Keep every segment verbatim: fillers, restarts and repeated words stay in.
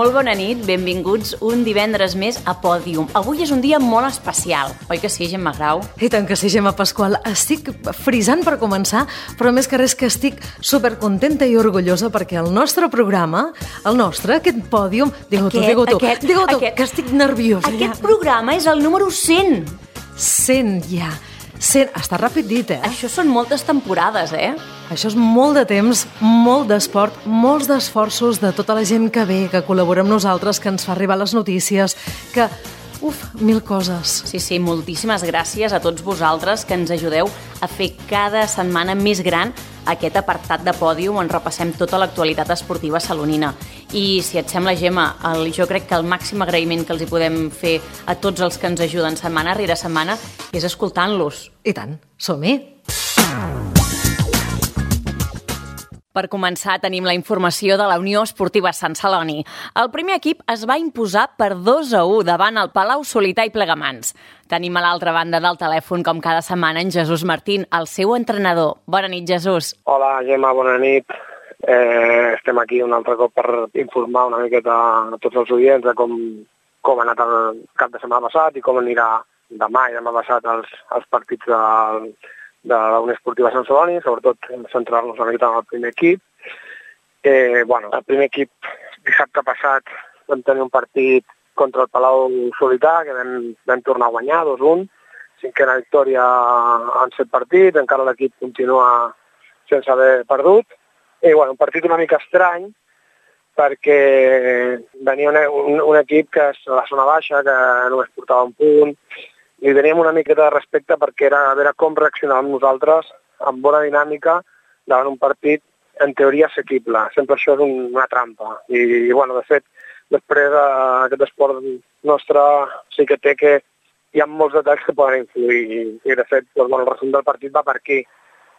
Molt bona nit, benvinguts un divendres més a Pòdium. Avui és un dia molt especial, oi que sí, Gemma Grau? I tant que sí, Gemma Pasqual. Estic frisant per començar, però més que res que estic supercontenta i orgullosa perquè el nostre programa, el nostre, aquest Pòdium... Digue-ho tu, digue-ho tu, aquest, digue-ho tu, aquest, que estic nerviosa. Aquest ja. programa és el número cent. cent, ja. cent. Està ràpid dit, eh? Això són moltes temporades, eh? Això és molt de temps, molt d'esport, molts d'esforços de tota la gent que ve, que col·labora amb nosaltres, que ens fa arribar les notícies, que... Uf, mil coses. Sí, sí, moltíssimes gràcies a tots vosaltres que ens ajudeu a fer cada setmana més gran aquest apartat de Pòdium on repassem tota l'actualitat esportiva salonina. I si et sembla, Gemma, el, jo crec que el màxim agraïment que els hi podem fer a tots els que ens ajuden setmana rere setmana és escoltant-los. I tant, som-hi! Per començar, tenim la informació de la Unió Esportiva Sant Celoni. El primer equip es va imposar per dos a u davant el Palau Solità i Plegamans. Tenim a l'altra banda del telèfon, com cada setmana, en Jesús Martín, el seu entrenador. Bona nit, Jesús. Hola, Gemma, bona nit. Eh, estem aquí un altre cop per informar una miqueta a tots els oients de com, com ha anat el cap de setmana passat i com anirà demà i demà passat els, els partits del... de la Unió Esportiva Sant Celoni, sobretot centrar-nos una mica en el primer equip. Eh, bueno, el primer equip, dissabte passat, vam tenir un partit contra el Palau Solità, que vam, vam tornar a guanyar dos a un, cinquena victòria en set partits, encara l'equip continua sense haver perdut. I bueno, un partit una mica estrany, perquè venia un, un, un equip que és a la zona baixa, que només portava un punt, i teníem una miqueta de respecte perquè era a veure com reaccionàvem nosaltres amb bona dinàmica davant un partit en teoria assequible. Sempre això és un, una trampa. I, i bueno, de fet, després eh, aquest esport nostre sí que té que hi ha molts detalls que poden influir. I, i de fet, doncs, bueno, el resum del partit va per aquí.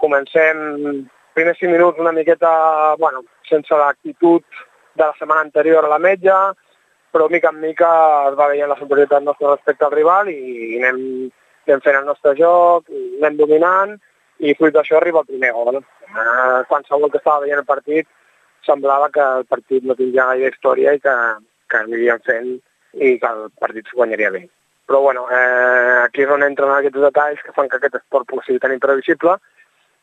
Comencem primers cinc minuts una miqueta, bueno, sense l'actitud de la setmana anterior a la metja, però mica en mica es va veient la superioritat nostra respecte al rival i anem, anem fent el nostre joc, anem dominant i fruit d'això arriba el primer gol. Eh, qualsevol que estava veient el partit semblava que el partit no tindria gaire història i que, que aniríem fent i que el partit s'ho guanyaria bé. Però bueno, eh, aquí és on entren aquests detalls que fan que aquest esport pugui ser tan imprevisible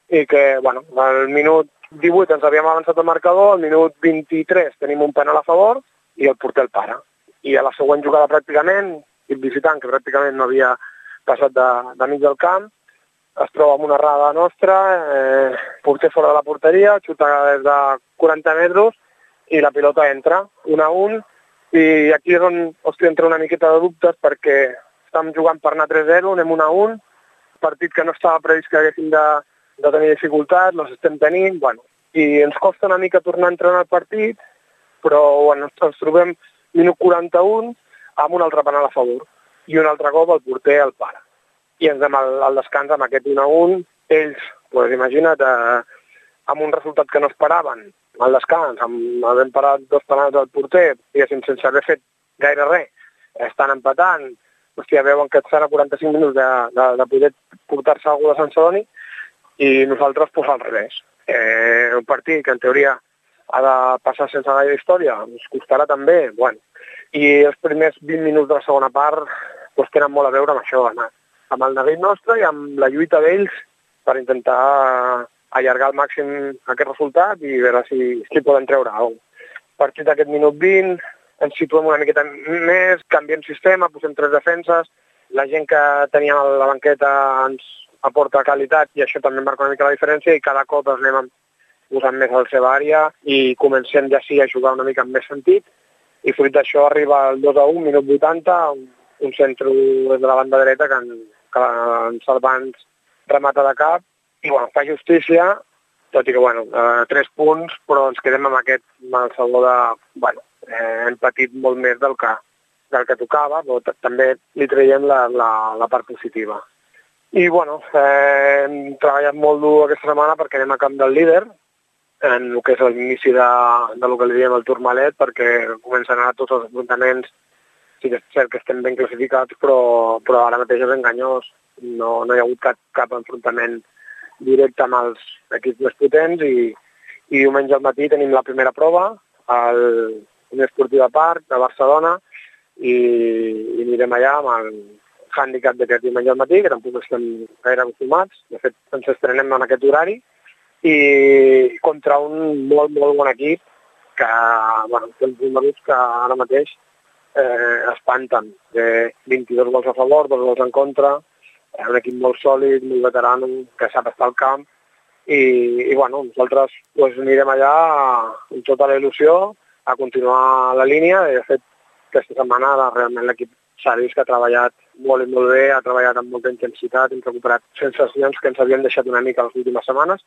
i que, bueno, al minut divuit ens havíem avançat el marcador, al minut vint-i-tres tenim un penal a favor i el porter el para. I a la següent jugada pràcticament, el visitant, que pràcticament no havia passat de, de mig del camp, es troba amb una errada nostra, eh, porter fora de la porteria, xuta des de quaranta metres i la pilota entra, un a un, i aquí és on hosti, entra una miqueta de dubtes perquè estem jugant per anar tres a zero, anem un a un, partit que no estava previst que haguéssim de, de tenir dificultat, els estem tenint, bueno, i ens costa una mica tornar a entrar en el partit, però bueno, ens trobem minut quaranta-un amb un altre penal a favor i un altre cop el porter el para. I ens anem al, al descans amb aquest un a un. Ells, doncs imagina't, eh, amb un resultat que no esperaven, al descans, amb havent parat dos penals del porter, diguéssim, sense haver fet gaire res, estan empatant, hòstia, veuen que estan a quaranta-cinc minuts de, de, de poder portar-se algú de Sant Celoni i nosaltres pues, al revés. Eh, un partit que en teoria ha de passar sense gaire història, ens costarà també, bueno. I els primers vint minuts de la segona part doncs, tenen molt a veure amb això, amb, amb el neguit nostre i amb la lluita d'ells per intentar allargar al màxim aquest resultat i veure si, si poden treure alguna cosa. A partir d'aquest minut vint ens situem una miqueta més, canviem sistema, posem tres defenses, la gent que teníem a la banqueta ens aporta qualitat i això també marca una mica la diferència i cada cop ens anem posant més a la seva àrea i comencem ja sí a jugar una mica amb més sentit i fruit d'això arriba el dos a un, minut vuitanta, un, un centre de la banda dreta que, en, que en Salvans remata de cap i bueno, fa justícia, tot i que bueno, eh, tres punts, però ens quedem amb aquest malsalvador de, bueno, eh, hem patit molt més del que, del que tocava, però també li traiem la, la, la part positiva. I bueno, eh, hem treballat molt dur aquesta setmana perquè anem a camp del líder, en el que és l'inici de, de lo que li diem el Tourmalet, perquè comencen a anar tots els enfrontaments. Sí que és cert que estem ben classificats, però, però ara mateix és enganyós. No, no hi ha hagut cap, cap enfrontament directe amb els equips més potents i, i diumenge al matí tenim la primera prova al, Unió Esportiva Parc de Barcelona, i, i anirem allà amb el hàndicap d'aquest diumenge al matí, que tampoc estem gaire acostumats. De fet, ens estrenem en aquest horari, i contra un molt, molt bon equip que, bueno, té uns números que ara mateix eh, espanten. Té vint-i-dos gols a favor, dos gols en contra, és un equip molt sòlid, molt veterano, que sap estar al camp, i, i bueno, nosaltres pues, anirem allà amb tota la il·lusió a continuar la línia. De fet, aquesta setmana realment l'equip s'ha vist que ha treballat molt i molt bé, ha treballat amb molta intensitat, hem recuperat sensacions que ens havien deixat una mica les últimes setmanes,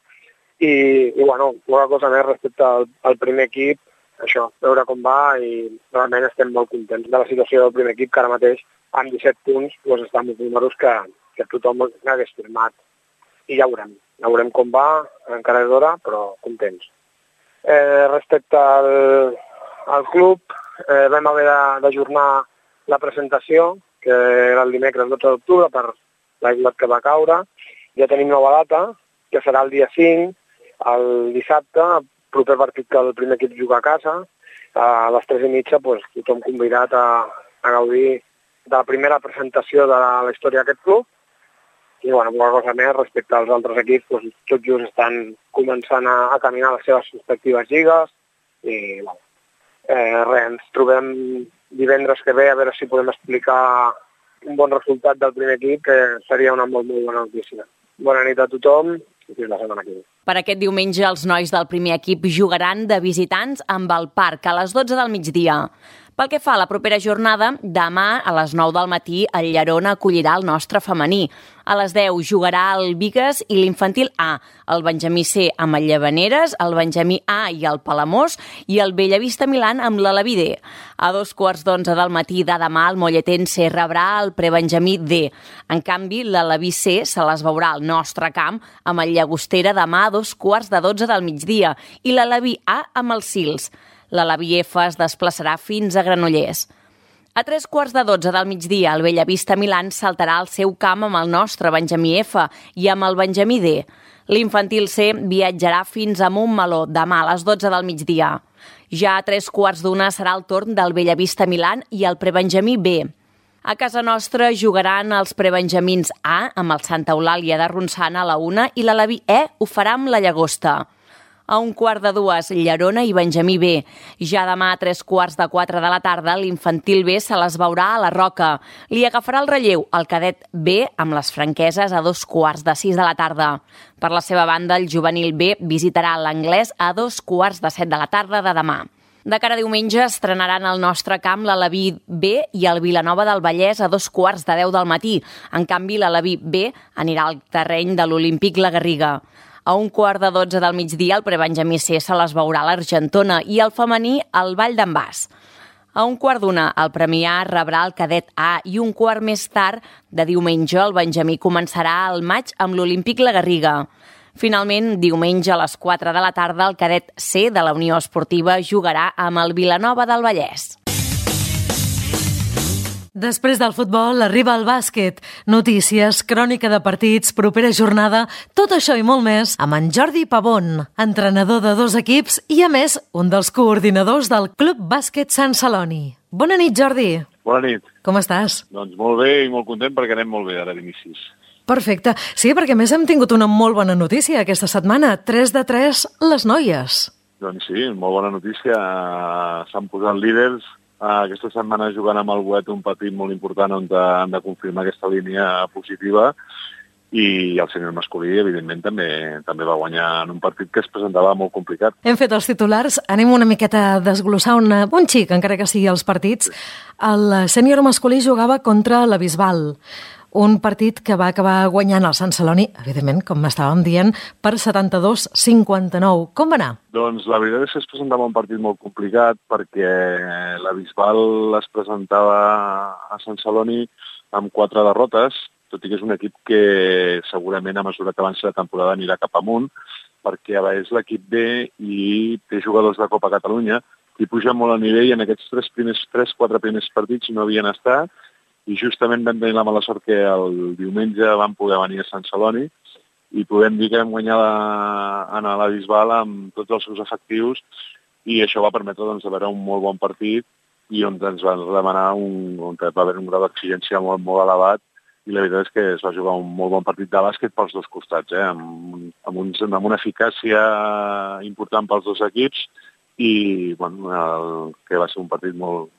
i, i bueno, una cosa més respecte al, al primer equip, això, veure com va, i realment estem molt contents de la situació del primer equip, que ara mateix, amb disset punts, doncs està amb uns números que, que tothom n'hagués firmat. I ja veurem, ja veurem com va, encara és d'hora, però contents. Eh, respecte al, al club, eh, vam haver d'ajornar la presentació, que era el dimecres dotze d'octubre, per l'aiguat que va caure. Ja tenim nova data, que serà el dia cinc, el dissabte, el proper partit que el primer equip juga a casa. A les tres i mitja, doncs, tothom convidat a, a gaudir de la primera presentació de la, la història d'aquest club. I, bueno, una cosa més, respecte als altres equips, doncs, tot just estan començant a, a caminar les seves respectives lligues. I, bueno, eh, res, ens trobem divendres que ve a veure si podem explicar un bon resultat del primer equip, que seria una molt, molt bona notícia. Bona nit a tothom i fins la setmana que ve. Per aquest diumenge, els nois del primer equip jugaran de visitants amb el Parc a les dotze del migdia. Pel que fa a la propera jornada, demà a les nou del matí el Llerona acollirà el nostre femení. A les deu jugarà el Bigues i l'infantil A, el Benjamí C amb el Llavaneres, el Benjamí A i el Palamós i el Bellavista Milan amb l'Alaví D. A dos quarts d'onze del matí de demà el Molletense rebrà el Prebenjamí D. En canvi, l'Alaví C se les veurà al nostre camp amb el Llagostera demà a dos quarts de dotze del migdia i l'Alaví A amb els Sils. L'Alaví F es desplaçarà fins a Granollers. A tres quarts de dotze del migdia, el Bellavista Milan saltarà al seu camp amb el nostre Benjamí F i amb el Benjamí D. L'infantil C viatjarà fins a Montmeló demà a les dotze del migdia. Ja a tres quarts d'una serà el torn del Bellavista Milan i el Prebenjamí B. A casa nostra jugaran els Prebenjamins A amb el Santa Eulàlia de Ronçana a la una i l'Alaví E ho farà amb la Llagosta. A un quart de dues, Llerona i Benjamí B. Ja demà a tres quarts de quatre de la tarda, l'infantil B se les veurà a la Roca. Li agafarà el relleu el cadet B amb les franqueses a dos quarts de sis de la tarda. Per la seva banda, el juvenil B visitarà l'Anglès a dos quarts de set de la tarda de demà. De cara a diumenge estrenaran al nostre camp l'Alaví B i el Vilanova del Vallès a dos quarts de deu del matí. En canvi, l'Alaví B anirà al terreny de l'Olímpic La Garriga. A un quart de dotze del migdia, el Prebenjamí C se les veurà a l'Argentona i el femení al Vall d'en Bas. A un quart d'una, el Premià rebrà el cadet A i un quart més tard de diumenge el Benjamí començarà al maig amb l'Olímpic La Garriga. Finalment, diumenge a les quatre de la tarda, el cadet C de la Unió Esportiva jugarà amb el Vilanova del Vallès. Després del futbol arriba el bàsquet. Notícies, crònica de partits, propera jornada, tot això i molt més amb en Jordi Pavón, entrenador de dos equips i, a més, un dels coordinadors del Club Bàsquet Sant Celoni. Bona nit, Jordi. Bona nit. Com estàs? Doncs molt bé i molt content perquè anem molt bé ara d'inicis. Perfecte. Sí, perquè a més hem tingut una molt bona notícia aquesta setmana. tres de tres les noies. Doncs sí, molt bona notícia. S'han posat líders. Aquesta setmana jugant amb el Boet un partit molt important on han de confirmar aquesta línia positiva i el sènior masculí, evidentment, també també va guanyar en un partit que es presentava molt complicat. Hem fet els titulars, anem una miqueta a desglossar una, un xic, encara que sigui els partits. El sènior masculí jugava contra la Bisbal, un partit que va acabar guanyant el Sant Celoni, evidentment, com estàvem dient, per setanta-dos a cinquanta-nou. Com va anar? Doncs la veritat és que es presentava un partit molt complicat perquè la Bisbal es presentava a Sant Celoni amb quatre derrotes, tot i que és un equip que segurament a mesura que avanci la temporada anirà cap amunt, perquè és l'equip B i té jugadors de Copa Catalunya i puja molt a nivell i en aquests tres primers, tres, quatre primers partits no havien estat i justament vam tenir la mala sort que el diumenge vam poder venir a Sant Celoni i podem dir que vam guanyar la, a la Bisbal amb tots els seus efectius i això va permetre doncs, de veure un molt bon partit i on ens van demanar un, on va haver un grau d'exigència molt, molt elevat, i la veritat és que es va jugar un molt bon partit de bàsquet pels dos costats, eh? amb, amb, uns, amb una eficàcia important pels dos equips i bueno, el, que va ser un partit molt,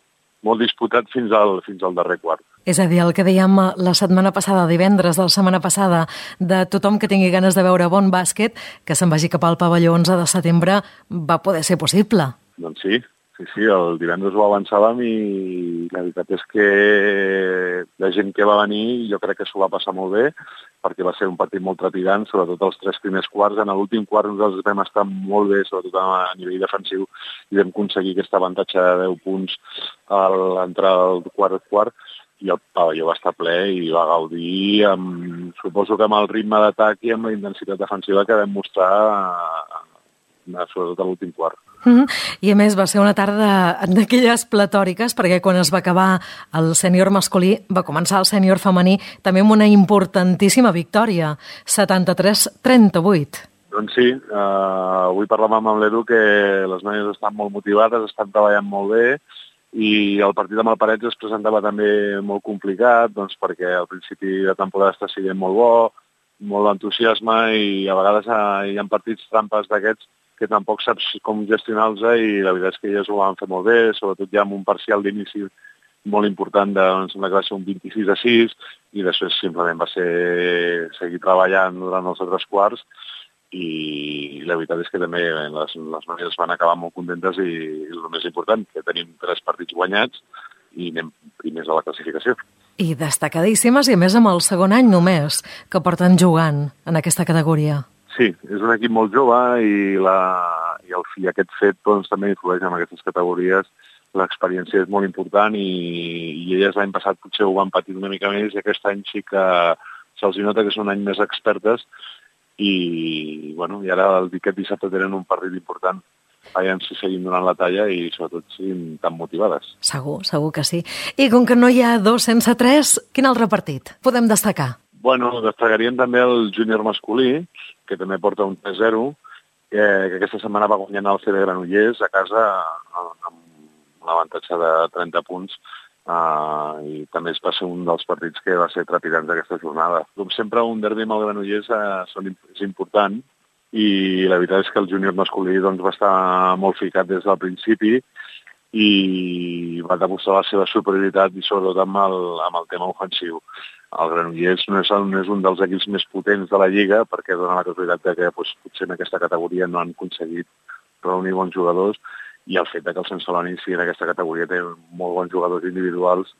molt disputat fins al, fins al darrer quart. És a dir, el que dèiem la setmana passada, divendres de la setmana passada, de tothom que tingui ganes de veure bon bàsquet, que se'n vagi cap al pavelló onze de setembre, va poder ser possible. Doncs sí. Sí, sí, el divendres ho avançàvem i la veritat és que la gent que va venir jo crec que s'ho va passar molt bé perquè va ser un partit molt trepidant, sobretot els tres primers quarts. En l'últim quart nosaltres vam estar molt bé, sobretot a nivell defensiu, i vam aconseguir aquest avantatge de deu punts a l'entrar al quart quart i el pavelló va estar ple i va gaudir, amb, suposo que amb el ritme d'atac i amb la intensitat defensiva que vam mostrar sobretot a l'últim quart. Mm-hmm. I a més va ser una tarda d'aquelles platòriques perquè quan es va acabar el sènior masculí va començar el sènior femení també amb una importantíssima victòria, setanta-tres a trenta-vuit. Doncs sí, uh, avui parlàvem amb l'Edu que les noies estan molt motivades, estan treballant molt bé i el partit amb el Parets es presentava també molt complicat doncs perquè al principi de temporada està sent molt bo, molt entusiasme i a vegades uh, hi ha partits trampes d'aquests que tampoc saps com gestionar-los i la veritat és que elles ho van fer molt bé, sobretot ja amb un parcial d'inici molt important, de, em sembla que va ser un vint-i-sis a sis, i després simplement va ser seguir treballant durant els altres quarts i la veritat és que també les, les noies van acabar molt contentes i, i el més important, que tenim tres partits guanyats i anem primers a la classificació. I destacadíssimes i a més amb el segon any només que porten jugant en aquesta categoria. Sí, és un equip molt jove i, la, i, el, i aquest fet doncs, també influeix en aquestes categories. L'experiència és molt important i, i elles l'any passat potser ho van patir una mica més i aquest any sí que se'ls nota que és un any més expertes i, bueno, i ara el, aquest dissabte tenen un partit important. Veiem si seguim donant la talla i sobretot siguin tan motivades. Segur, segur que sí. I com que no hi ha dos sense tres, quin altre partit podem destacar? Bueno, destacaríem també el júnior masculí, que també porta un tres zero, que, que aquesta setmana va guanyant el C D Granollers a casa amb un avantatge de trenta punts uh, i també es va ser un dels partits que va ser trepidants d'aquesta jornada. Com sempre, un derbi amb el Granollers uh, són, és important i la veritat és que el júnior masculí doncs, va estar molt ficat des del principi i va demostrar la seva superioritat i sobretot amb el, amb el tema ofensiu. El Granollers no és, no és un dels equips més potents de la Lliga perquè dona la casualitat de que doncs, potser en aquesta categoria no han aconseguit reunir bons jugadors i el fet de que el Sant Celoni sigui en aquesta categoria té molt bons jugadors individuals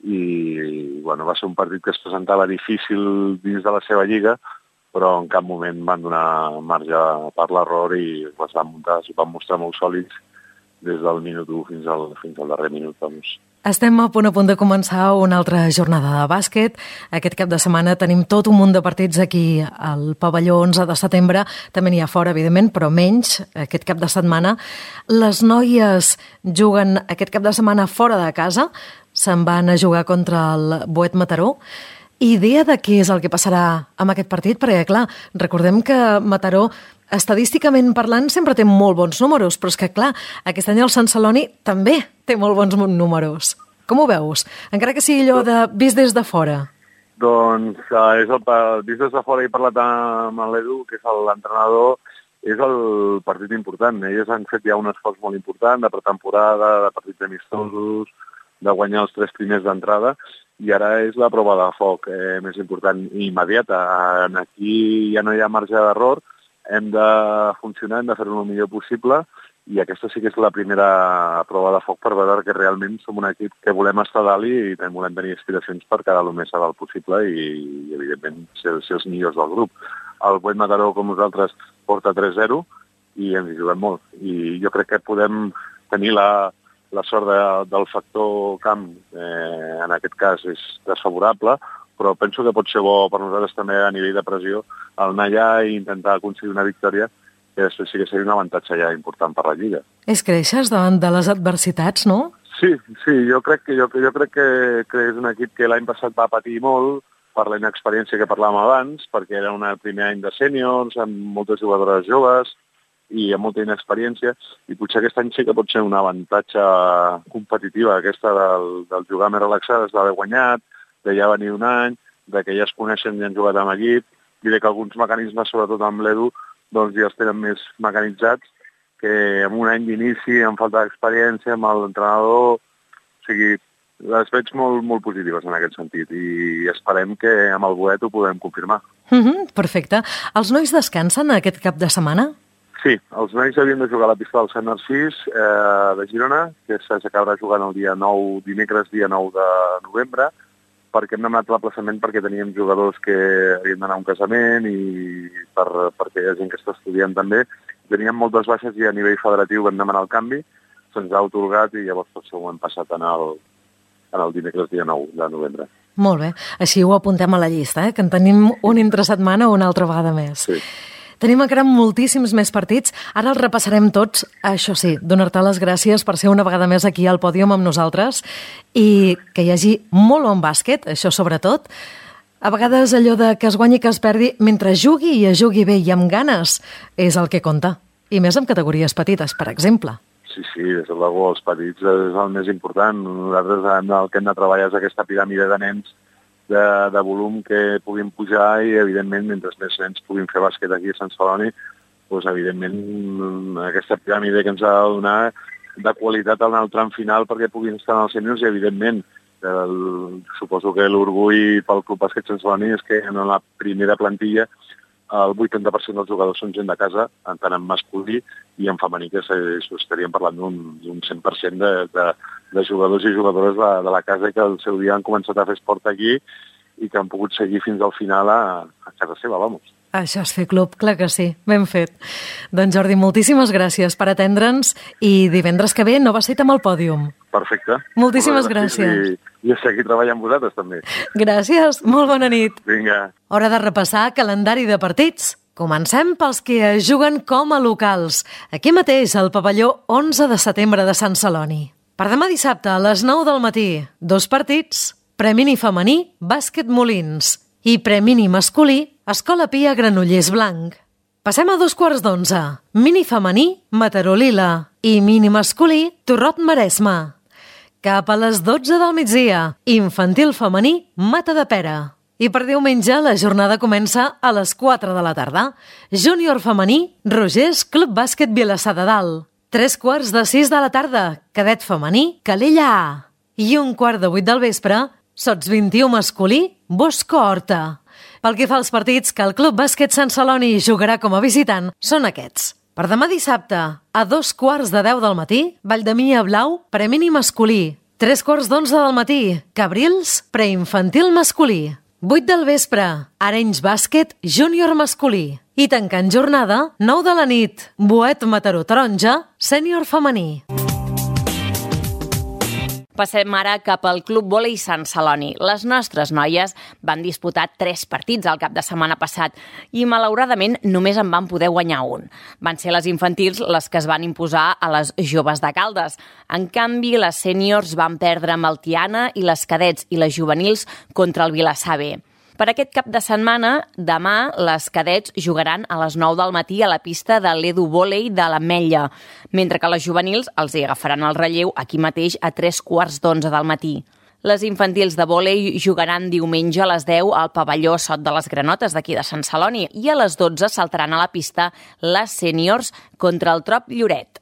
i bueno, va ser un partit que es presentava difícil dins de la seva Lliga però en cap moment van donar marge per l'error i es van, muntar, es van mostrar molt sòlids des del minut u fins al, fins al darrer minut. Doncs. Estem a punt a punt de començar una altra jornada de bàsquet. Aquest cap de setmana tenim tot un munt de partits aquí al pavelló onze de setembre. També n'hi ha fora, evidentment, però menys aquest cap de setmana. Les noies juguen aquest cap de setmana fora de casa. Se'n van a jugar contra el Boet Mataró. Idea de què és el que passarà amb aquest partit? Perquè, clar, recordem que Mataró, estadísticament parlant, sempre té molt bons números, però és que, clar, aquest any el Sant Celoni també té molt bons números. Com ho veus? Encara que sigui allò de vist des de fora. Doncs uh, és el, vist des de fora he parlat amb l'Edu, que és l'entrenador, és el partit important. Elles han fet ja un esforç molt important de pretemporada, de partits amistosos, de guanyar els tres primers d'entrada, i ara és la prova de foc eh, més important i immediata. Aquí ja no hi ha marge d'error, hem de funcionar, hem de fer-ho el millor possible i aquesta sí que és la primera prova de foc per veure que realment som un equip que volem estar dalt i també volem tenir aspiracions per quedar el més a dalt possible i, i evidentment, ser, ser els millors del grup. El Boet Mataró, com nosaltres, porta tres zero i ens hi juguem molt. I jo crec que podem tenir la, la sort de, del factor camp, eh, en aquest cas és desfavorable, però penso que pot ser bo per nosaltres també a nivell de pressió el anar allà i intentar aconseguir una victòria que després sí que seria un avantatge ja important per la Lliga. És creixes davant de les adversitats, no? Sí, sí, jo crec que, jo, jo crec que, que és un equip que l'any passat va patir molt per la inexperiència que parlàvem abans, perquè era un primer any de sèniors, amb moltes jugadores joves, i amb molta inexperiència, i potser aquest any sí que pot ser un avantatge competitiva aquesta del, del jugar més relaxades, d'haver guanyat, de ja venir un any, de que ja es coneixen i han jugat amb equip, i de que alguns mecanismes, sobretot amb l'Edu, doncs ja els tenen més mecanitzats, que amb un any d'inici, amb falta d'experiència, amb l'entrenador, o sigui, les veig molt, molt positives en aquest sentit i esperem que amb el Boet ho podem confirmar. Mm-hmm, perfecte. Els nois descansen aquest cap de setmana? Sí, els nois havien de jugar a la pista del Sant Narcís eh, de Girona, que s'acabarà jugant el dia nou, dimecres, dia nou de novembre, perquè hem demanat l'aplaçament perquè teníem jugadors que havien d'anar a un casament i per, perquè hi ha gent que està estudiant també. Teníem moltes baixes i a nivell federatiu vam demanar el canvi, se'ns ha atorgat i llavors per això ho hem passat en el, en el dimecres dia nou de novembre. Molt bé, així ho apuntem a la llista, eh? Que en tenim un entre setmana una altra vegada més. Sí. Tenim encara moltíssims més partits, ara els repassarem tots, això sí, donar-te les gràcies per ser una vegada més aquí al pòdium amb nosaltres i que hi hagi molt bon bàsquet, això sobretot. A vegades allò de que es guanyi que es perdi, mentre jugui i es jugui bé i amb ganes, és el que compta. I més en categories petites, per exemple. Sí, sí, des de l'algú, els petits és el més important. Nosaltres el que hem de treballar és aquesta piràmide de nens de, de volum que puguin pujar i, evidentment, mentre més nens puguin fer bàsquet aquí a Sant Celoni, doncs, evidentment, aquesta piràmide que ens ha de donar de qualitat en el tram final perquè puguin estar en els sèniors i, evidentment, el, suposo que l'orgull pel Club Bàsquet Sant Celoni és que en la primera plantilla el vuitanta per cent dels jugadors són gent de casa, tant en masculí i en femení, que estaríem parlant d'un cent per cent de, de, de jugadors i jugadores de, de la casa que el seu dia han començat a fer esport aquí i que han pogut seguir fins al final a, a casa seva, vamos. Això és fer club, clar que sí, ben fet. Doncs Jordi, moltíssimes gràcies per atendre'ns i divendres que ve nova cita amb el pòdium. Perfecte. Moltíssimes gràcies. I, i a seguir treballant amb vosaltres també. Gràcies, molt bona nit. Vinga. Hora de repassar calendari de partits. Comencem pels que juguen com a locals. Aquí mateix, al pavelló onze de setembre de Sant Celoni. Per demà dissabte, a les nou del matí, dos partits. Premini femení, bàsquet Molins. I premini masculí, Escola Pia Granollers Blanc. Passem a dos quarts d'onze. Mini femení, Mataró Lila. I mini masculí, Torrot Maresme. Cap a les dotze del migdia, infantil femení, Matadepera. I per diumenge la jornada comença a les quatre de la tarda. Júnior femení, Rogers Club Bàsquet Vilassar de Dalt. Tres quarts de sis de la tarda, cadet femení, Calella A. I un quart de vuit del vespre, Sots vint-i-u masculí, Bosco Horta. Pel que fa als partits que el Club Bàsquet Sant Celoni jugarà com a visitant, són aquests. Per demà dissabte, a dos quarts de deu del matí, Valldemia Blau, premini masculí. Tres quarts d'onze del matí, Cabrils, preinfantil masculí. Vuit del vespre, Arenys Bàsquet, júnior masculí. I tancant jornada, nou de la nit, Boet Mataró Taronja, sènior femení. Passem ara cap al Club Vòlei Sant Celoni. Les nostres noies van disputar tres partits el cap de setmana passat i, malauradament, només en van poder guanyar un. Van ser les infantils les que es van imposar a les joves de Caldes. En canvi, les sèniors van perdre amb el Tiana i les cadets i les juvenils contra el Vilassar B. Per aquest cap de setmana, demà, les cadets jugaran a les nou del matí a la pista de l'Edu Vòlei de l'Ametlla, mentre que les juvenils els hi agafaran el relleu aquí mateix a tres quarts d'onze del matí. Les infantils de vòlei jugaran diumenge a les deu al pavelló Sot de les Granotes d'aquí de Sant Celoni i a les dotze saltaran a la pista les sèniors contra el Trop Lloret.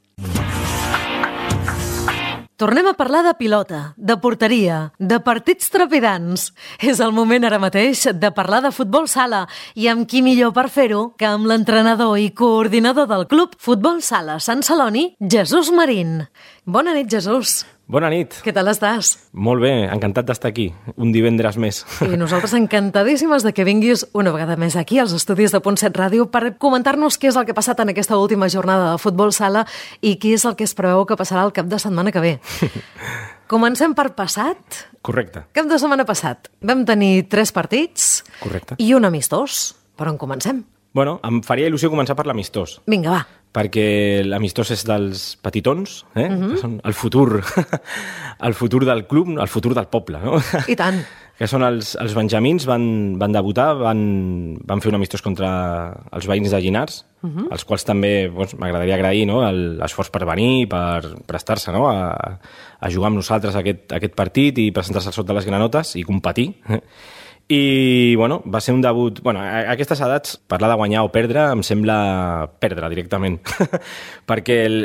Tornem a parlar de pilota, de porteria, de partits trepidants. És el moment ara mateix de parlar de futbol sala i amb qui millor per fer-ho que amb l'entrenador i coordinador del club Futbol Sala Sant Celoni, Jesús Marín. Bona nit, Jesús. Bona nit. Què tal estàs? Molt bé, encantat d'estar aquí, un divendres més. I nosaltres encantadíssimes de que vinguis una vegada més aquí als estudis de Punt set Ràdio per comentar-nos què és el que ha passat en aquesta última jornada de futbol sala i què és el que es preveu que passarà el cap de setmana que ve. Comencem per passat? Correcte. Cap de setmana passat. Vam tenir tres partits. Correcte. I un amistós. Per on comencem? Bueno, em faria il·lusió començar per l'amistós. Vinga, va. Perquè l'amistós és dels petitons, eh? Uh-huh. Que són el futur, el futur del club, el futur del poble, no? I tant. Que són els, els benjamins, van, van debutar, van, van fer un amistós contra els veïns de Llinars, uh-huh. als quals també doncs, m'agradaria agrair no, l'esforç per venir, per prestar-se no, a, a jugar amb nosaltres aquest, aquest partit i presentar-se al sot de les granotes i competir. I, bueno, va ser un debut... Bueno, a aquestes edats, parlar de guanyar o perdre em sembla perdre directament. Perquè el,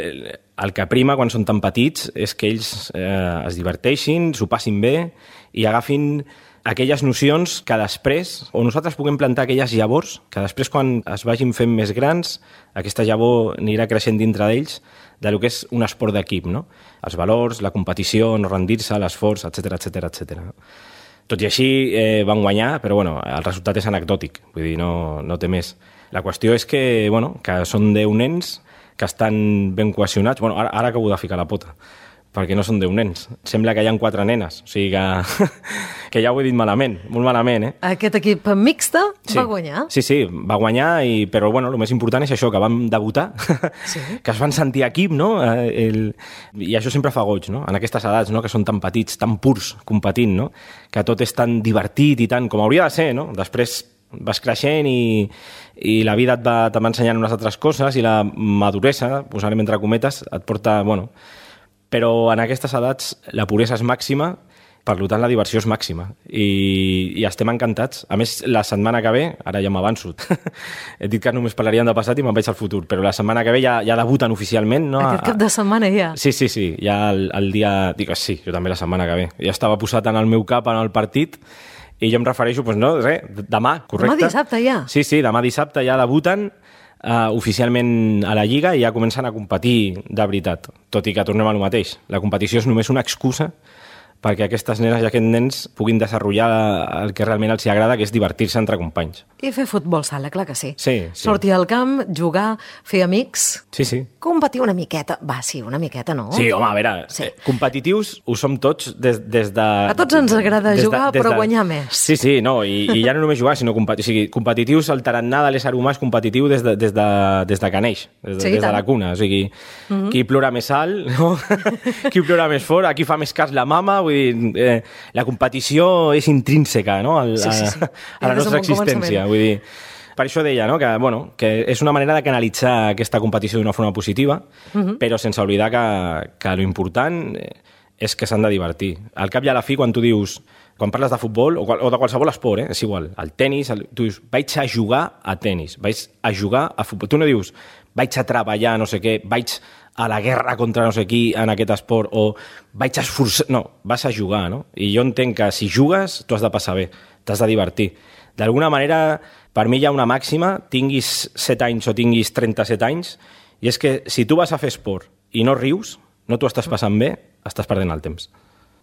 el que prima quan són tan petits és que ells eh, es diverteixin, s'ho passin bé i agafin aquelles nocions que després, o nosaltres puguem plantar aquelles llavors, que després quan es vagin fent més grans, aquesta llavor anirà creixent dintre d'ells de lo que és un esport d'equip, no? Els valors, la competició, no rendir-se, l'esforç, etcètera, etcètera, etcètera. Tot i així eh, van guanyar, però bueno, el resultat és anecdòtic, vull dir, no, no té més. La qüestió és que, bueno, que són deu nens que estan ben cohesionats. Bueno, ara, ara acabo de ficar la pota, perquè no són deu nens. Sembla que hi ha quatre nenes, o sigui que, que ja ho he dit malament, molt malament, eh? Aquest equip mixte sí. va guanyar? Sí, sí, va guanyar, i, però bueno, el més important és això, que vam debutar, sí. que es van sentir equip, no? El, I això sempre fa goig, no? En aquestes edats, no? Que són tan petits, tan purs, competint, no? Que tot és tan divertit i tant com hauria de ser, no? Després vas creixent i, i la vida et va, te va ensenyant unes altres coses i la maduresa, posarem entre cometes, et porta, bueno... Però en aquestes edats la puresa és màxima, per tant la diversió és màxima i, i estem encantats. A més, la setmana que ve, ara ja m'avanço, he dit que només parlaríem de passat i me'n veig al futur, però la setmana que ve ja, ja debuten oficialment. No? Aquest cap de setmana ja? Sí, sí, sí, ja el, el dia... Dic, sí, jo també la setmana que ve. Ja estava posat en el meu cap en el partit i jo em refereixo, doncs no, res, demà, correcte? Demà dissabte ja? Sí, sí, demà dissabte ja debuten Uh, oficialment a la Lliga i ja comencen a competir de veritat, tot i que tornem a lo mateix. La competició és només una excusa perquè aquestes nenes i aquests nens puguin desenvolupar el que realment els agrada, que és divertir-se entre companys. I fer futbol sala, clar que sí. Sí, sí. Sortir al camp, jugar, fer amics... Sí, sí. Competir una miqueta. Va, sí, una miqueta, no? Sí, home, a veure, sí. competitius ho som tots des, des de... A tots ens agrada de, jugar, de, però de, guanyar més. Sí, sí, no, i, i ja no només jugar, sinó competi o sigui, competitius, el tarannà de l'ésser humà és competitiu des de, des de, des de que neix, des de, sí, des de la cuna. O sigui, mm-hmm. qui plora més alt, no? qui plora més fort, aquí fa més cas la mama, vull dir... Eh, la competició és intrínseca, no? Al, sí, sí, sí. A, a la nostra existència. Vull dir, per això deia, no? que, bueno, que és una manera de canalitzar aquesta competició d'una forma positiva, uh-huh. però sense oblidar que, que l'important és que s'han de divertir. Al cap i a la fi, quan tu dius, quan parles de futbol, o, qual, o de qualsevol esport, eh? és igual, el tenis, el, tu dius, vaig a jugar a tenis, vaig a jugar a futbol. Tu no dius, vaig a treballar, no sé què, vaig a la guerra contra no sé qui en aquest esport, o vaig a esforçar... No, vas a jugar, no? I jo entenc que si jugues, tu has de passar bé, t'has de divertir. D'alguna manera, per mi hi ha una màxima, tinguis set anys o tinguis trenta-set anys, i és que si tu vas a fer esport i no rius, no t'ho estàs passant bé, estàs perdent el temps.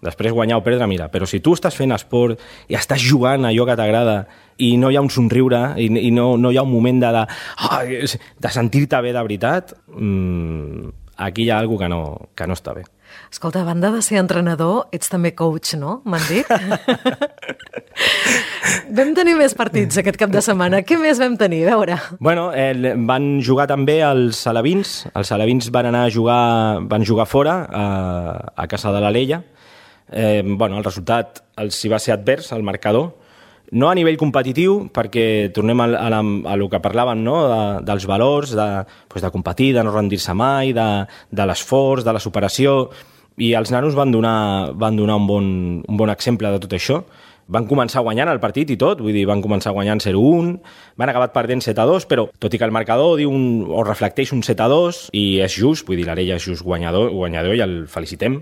Després guanyar o perdre, mira, però si tu estàs fent esport i estàs jugant allò que t'agrada i no hi ha un somriure i, i no, no hi ha un moment de, de, de sentir-te bé de veritat, mmm, aquí hi ha alguna cosa que no, que no està bé. Escolta, a banda de ser entrenador, ets també coach, no? M'han dit? Vam tenir més partits aquest cap de setmana. Què més vam tenir? A veure. Bueno, eh, van jugar també els alevins. Els alevins van anar a jugar, van jugar fora, a, a casa de l'Alella. Eh, bueno, el resultat els hi va ser advers, el marcador. No a nivell competitiu, perquè tornem a, a, a lo que parlàvem, no? de, dels valors, de, pues de competir, de no rendir-se mai, de, de l'esforç, de la superació, i els nanos van donar, van donar un, bon, un bon exemple de tot això. Van començar guanyant el partit i tot, vull dir, van començar guanyant zero a un, van acabar perdent set a dos, però tot i que el marcador diu un, o reflecteix un set a dos, i és just, vull dir, l'Arella és just guanyador, guanyador i el felicitem,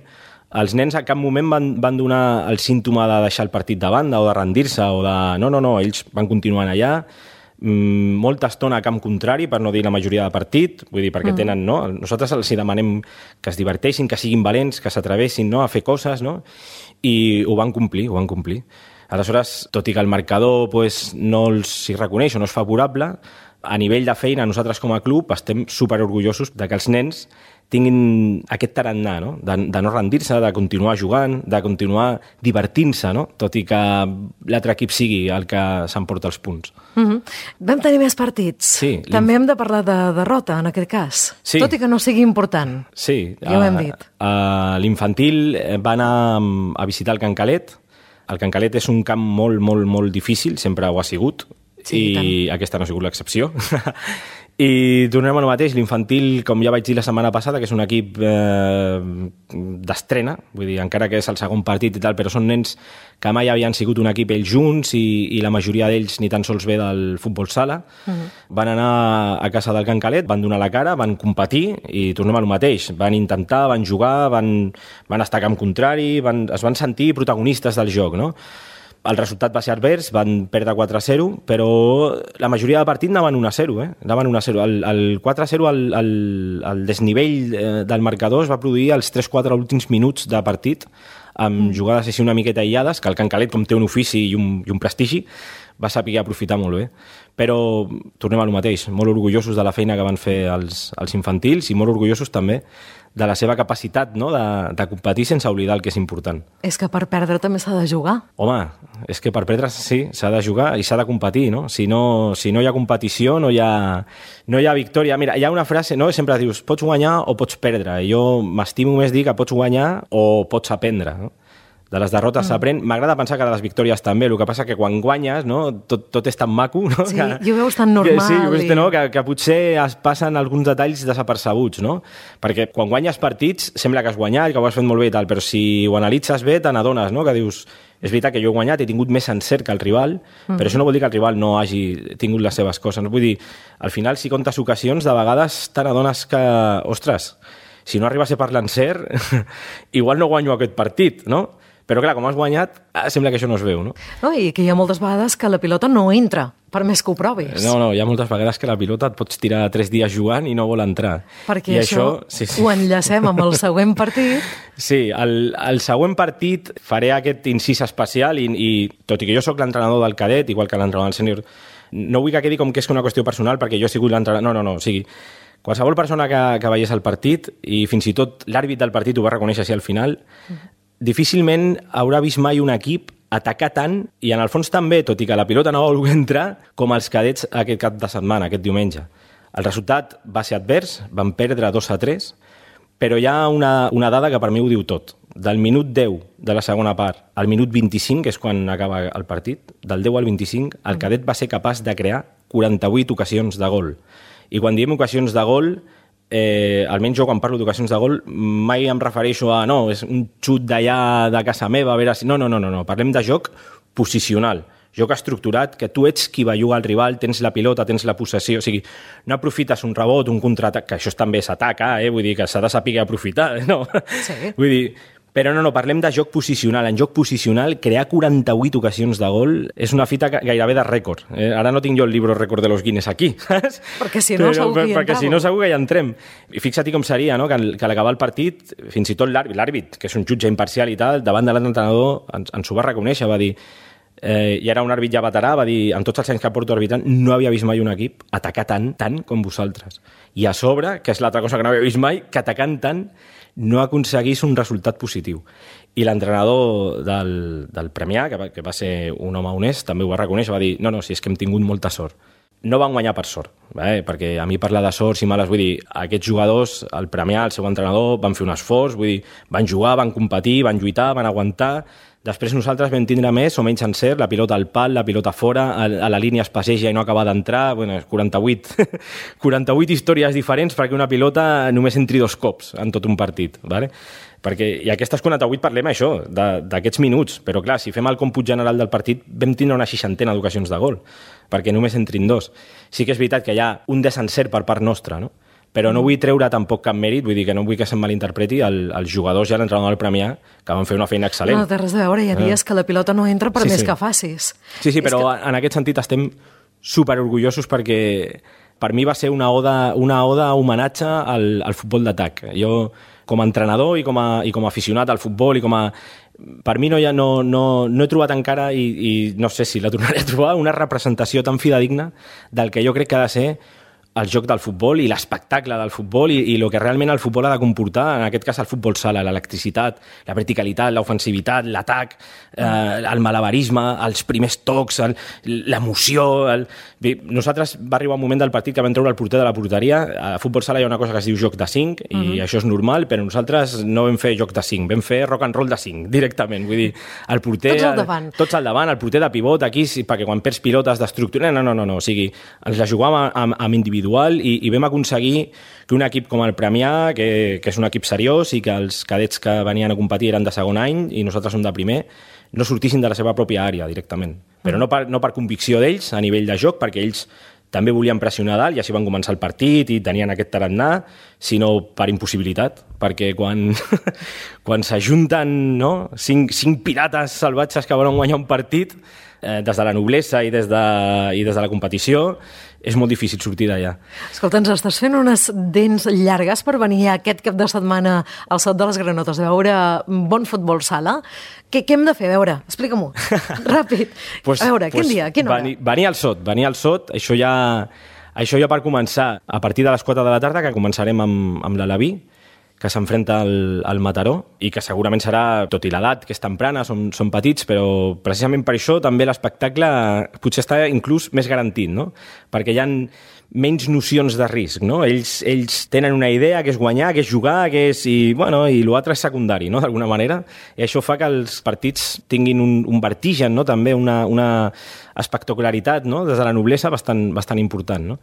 els nens a cap moment van, van donar el símptoma de deixar el partit de banda o de rendir-se o de... No, no, no, ells van continuant allà, mmm, molta estona a camp contrari, per no dir la majoria de partit, vull dir, perquè mm. tenen, no? Nosaltres els demanem que es diverteixin, que siguin valents, que s'atrevessin, no?, a fer coses, no? I ho van complir, ho van complir. Aleshores, tot i que el marcador pues, no els hi reconeix o no és favorable, a nivell de feina, nosaltres com a club estem superorgullosos de que els nens tinguin aquest tarannà, no? De, de no rendir-se, de continuar jugant, de continuar divertint-se, no? Tot i que l'altre equip sigui el que s'emporta els punts. Mm-hmm. Vam tenir més partits. Sí, també hem de parlar de derrota, en aquest cas. Sí. Tot i que no sigui important. Sí. Ja ho hem dit. Uh, uh, L'infantil va anar a visitar el Can Calet. El Can Calet és un camp molt, molt, molt difícil, sempre ho ha sigut. Sí, i, i aquesta no ha sigut l'excepció. I tornem al mateix, l'infantil, com ja vaig dir la setmana passada, que és un equip eh, d'estrena, vull dir, encara que és el segon partit i tal, però són nens que mai havien sigut un equip ells junts i, i la majoria d'ells ni tan sols ve del futbol sala. Uh-huh. Van anar a casa del Can Calet, van donar la cara, van competir i tornem al mateix. Van intentar, van jugar, van, van estar a camp contrari, van, es van sentir protagonistes del joc, no? El resultat va ser advers, van perdre quatre a zero, però la majoria del partit anaven un a zero, eh? Anaven un a zero. El, el quatre a zero, el, el, el desnivell del marcador es va produir als tres quatre últims minuts de partit, amb jugades així una miqueta aïllades, que el Can Calet, com té un ofici i un, i un prestigi, va saber aprofitar molt bé. Però tornem a lo mateix, molt orgullosos de la feina que van fer els, els infantils i molt orgullosos també de la seva capacitat, no?, de, de competir sense oblidar el que és important. És que per perdre també s'ha de jugar. Home, és que per perdre sí, s'ha de jugar i s'ha de competir, no? Si no, si no hi ha competició, no hi ha, no hi ha victòria. Mira, hi ha una frase, no?, sempre dius, pots guanyar o pots perdre. I jo m'estimo més dir que pots guanyar o pots aprendre, no? De les derrotes s'aprèn. Mm. M'agrada pensar que de les victòries també, el que passa que quan guanyes, no, tot, tot és tan maco, no? Sí, que, i ho veus tan normal. Que, sí, ho veus, i... no? que, que potser es passen alguns detalls desapercebuts, no? Perquè quan guanyes partits sembla que has guanyat, que ho has fet molt bé i tal, però si ho analitzes bé te n'adones, no? Que dius, és veritat que jo he guanyat, he tingut més encert que el rival, mm. però això no vol dir que el rival no hagi tingut les seves coses. Vull dir, al final, si comptes ocasions, de vegades te n'adones que, ostres, si no arriba a ser per l'encert, igual no guanyo aquest partit, no? Però clar, com has guanyat, sembla que això no es veu, no? No, i que hi ha moltes vegades que la pilota no entra, per més que ho provis. No, no, hi ha moltes vegades que la pilota et pots tirar tres dies jugant i no vol entrar. Perquè I això, això sí, sí. ho enllacem amb el següent partit. Sí, el, el següent partit faré aquest incís especial i, i tot i que jo sóc l'entrenador del cadet, igual que l'entrenador del sènior, no vull que quedi com que és una qüestió personal perquè jo he sigut l'entrenador... No, no, no, o sigui, qualsevol persona que, que veiés el partit i fins i tot l'àrbit del partit ho va reconèixer així al final, difícilment haurà vist mai un equip atacar tant, i en el fons també, tot i que la pilota no va voler entrar, com els cadets aquest cap de setmana, aquest diumenge. El resultat va ser advers, van perdre dos a tres, però hi ha una, una dada que per mi ho diu tot. Del minut deu de la segona part al minut vint-i-cinc, que és quan acaba el partit, del deu al vint-i-cinc, el cadet va ser capaç de crear quaranta-vuit ocasions de gol. I quan diem ocasions de gol, Eh, almenys jo quan parlo d'ocasions de gol mai em refereixo a no, és un xut d'allà de casa meva, a veure si... No, no, no, no, no. Parlem de joc posicional, joc estructurat, que tu ets qui belluga al rival, tens la pilota, tens la possessió, o sigui, no aprofites un rebot, un contraatac, que això també s'ataca, eh? Vull dir que s'ha de saber aprofitar, no? Sí. Vull dir, però no, no, parlem de joc posicional. En joc posicional, crear quaranta-vuit ocasions de gol és una fita gairebé de rècord. Eh, ara no tinc jo el llibre rècord de los Guinness aquí, saps? Perquè si no, però, segur que hi perquè entrava. si no segur que hi entrem. I fixa't com seria, no?, que, que a l'acabar el partit, fins i tot l'àrbit, l'àrbit, que és un jutge imparcial i tal, davant de l'entrenador ens, ens ho va reconèixer, va dir... Eh, i era un àrbit ja veterà, va dir, en tots els anys que porto arbitrant, no havia vist mai un equip atacar tant, tant com vosaltres. I a sobre, que és l'altra cosa que no havia vist mai, que atacant tant no aconseguís un resultat positiu. I l'entrenador del, del Premià, que va, que va ser un home honest, també ho va reconèixer, va dir, no, no, si és que hem tingut molta sort. No van guanyar per sort, eh? Perquè a mi parlar de sorts i males, vull dir, aquests jugadors, el Premià, el seu entrenador, van fer un esforç, vull dir, van jugar, van competir, van lluitar, van aguantar. Després nosaltres vam tindre més o menys encert, la pilota al pal, la pilota fora, a, a la línia es passeja i no acaba d'entrar, bueno, quaranta-vuit, quaranta-vuit històries diferents perquè una pilota només entri dos cops en tot un partit, ¿vale? Perquè, i aquestes quaranta-vuit parlem això, d'aquests minuts, però clar, si fem el còmput general del partit vam tindre una seixantena d'ocasions de gol, perquè només entrin dos. Sí que és veritat que hi ha un desencert per part nostra, no? Però no vull treure tampoc cap mèrit, vull dir que no vull que se'm malinterpreti el, els jugadors i l'entrenador del Premià, que van fer una feina excel·lent. No té res a veure, hi ha dies que la pilota no entra per sí, més sí. que facis. Sí, sí, però que... en aquest sentit estem superorgullosos perquè per mi va ser una oda, una oda homenatge al, al futbol d'atac. Jo, com a entrenador i com a, i com a aficionat al futbol i com a... Per mi no, hi ha, no, no, no he trobat encara, i, i no sé si la tornaré a trobar, una representació tan fidedigna del que jo crec que ha de ser el joc del futbol i l'espectacle del futbol i, i el que realment el futbol ha de comportar, en aquest cas el futbol sala, l'electricitat, la verticalitat, l'ofensivitat, l'atac, eh, el malabarisme, els primers tocs, l'emoció... El... Bé, nosaltres va arribar un moment del partit que vam treure el porter de la porteria. A futbol sala hi ha una cosa que es diu joc de cinc i uh-huh. això és normal, però nosaltres no vam fer joc de cinc, vam fer rock and roll de cinc, directament. Vull dir, el porter... Tots al davant. El, tots al davant, el porter de pivot aquí, perquè quan perds pilotes d'estructura... No, no, no, no, o sigui, ens la jugàvem amb, amb individualitat individual, i, i vam aconseguir que un equip com el Premià, que, que és un equip seriós i que els cadets que venien a competir eren de segon any i nosaltres som de primer, no sortissin de la seva pròpia àrea directament. Però no per, no per convicció d'ells a nivell de joc, perquè ells també volien pressionar dalt i així van començar el partit i tenien aquest tarannà, sinó per impossibilitat, perquè quan, quan s'ajunten no, cinc, cinc pirates salvatges que volen guanyar un partit, eh, des de la noblesa i des de, i des de la competició, és molt difícil sortir d'allà. Escolta, ens estàs fent unes dents llargues per venir aquest cap de setmana al Sot de les Granotes a veure bon futbol sala. Què, què hem de fer? A veure, explica-m'ho. Ràpid. pues, a veure, pues, quin dia? Quina hora? Venir, venir al Sot, venir al Sot, això ja, això ja per començar. A partir de les quatre de la tarda, que començarem amb, amb l'Alaví, que s'enfrenta al, al Mataró, i que segurament serà, tot i l'edat, que és temprana, són, són petits, però precisament per això també l'espectacle potser està inclús més garantit, no? Perquè hi ha menys nocions de risc, no? Ells, ells tenen una idea, que és guanyar, que és jugar, que és... I, bueno, i l'altre és secundari, no?, d'alguna manera. I això fa que els partits tinguin un, un vertigen, no?, també una, una espectacularitat, no?, des de la noblesa bastant, bastant important, no?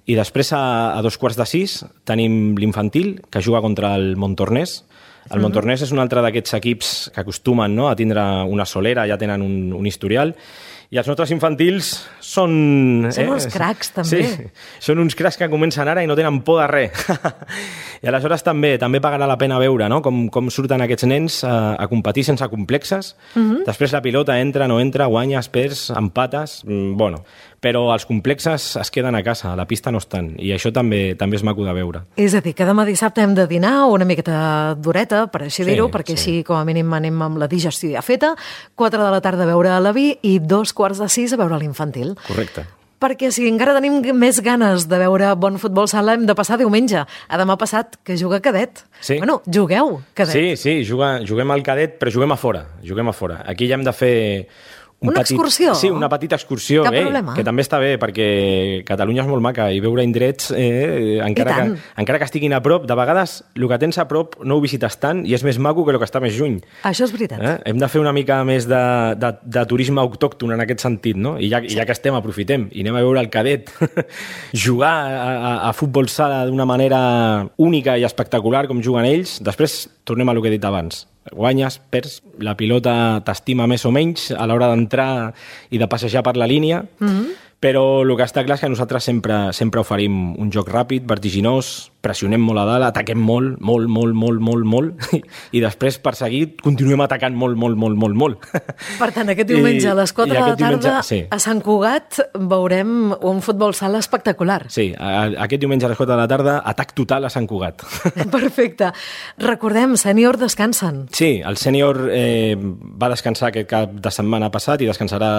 I després, a, a dos quarts de sis, tenim l'infantil, que juga contra el Montornès. El uh-huh. Montornès és un altre d'aquests equips que acostumen, no?, a tindre una solera, ja tenen un, un historial. I els nostres infantils són... Són eh? uns cracs, també. Sí, són uns cracs que comencen ara i no tenen por de res. I aleshores també també pagarà la pena veure, no?, com, com surten aquests nens a, a competir sense complexes. Uh-huh. Després la pilota entra, no entra, guanyes, perds, empates... Mm, bueno, però els complexes es queden a casa, a la pista no estan. I això també també és maco de veure. És a dir, que demà dissabte hem de dinar una miqueta dureta, per així dir-ho, Sí, perquè sí. així com a mínim anem amb la digestió ja feta. quatre de la tarda a veure la vi i dos quarts de sis a veure l'infantil. Correcte. Perquè si encara tenim més ganes de veure bon futbol sala, hem de passar diumenge, a demà passat, que juga cadet. Sí. Bueno, jugueu cadet. Sí, sí, juga, juguem al cadet, però juguem a fora. Juguem a fora. Aquí ja hem de fer... Un Una petit, excursió? Sí, una petita excursió. Cap eh, problema. Que també està bé, perquè Catalunya és molt maca i veure indrets, eh, encara, que, encara que estiguin a prop, de vegades el que tens a prop no ho visites tant i és més maco que el que està més lluny. Això és veritat. Eh? Hem de fer una mica més de, de, de turisme autòcton en aquest sentit, no? I ja, sí. ja que estem, aprofitem i anem a veure el cadet jugar a, a, a futbol sala d'una manera única i espectacular com juguen ells. Després tornem a lo que he dit abans. Guanyes, perds, la pilota t'estima més o menys a l'hora d'entrar i de passejar per la línia, mm-hmm. però el que està clar és que nosaltres sempre, sempre oferim un joc ràpid, vertiginós, pressionem molt a dalt, ataquem molt, molt, molt, molt, molt, molt, i després, per seguir, continuem atacant molt, molt, molt, molt, molt. Per tant, aquest diumenge I, a les quatre de la tarda diumenge, sí. a Sant Cugat veurem un futbol sala espectacular. Sí, a, aquest diumenge a les quatre de la tarda, atac total a Sant Cugat. Perfecte. Recordem, sènior descansen. Sí, el sènior eh, va descansar aquest cap de setmana passat i descansarà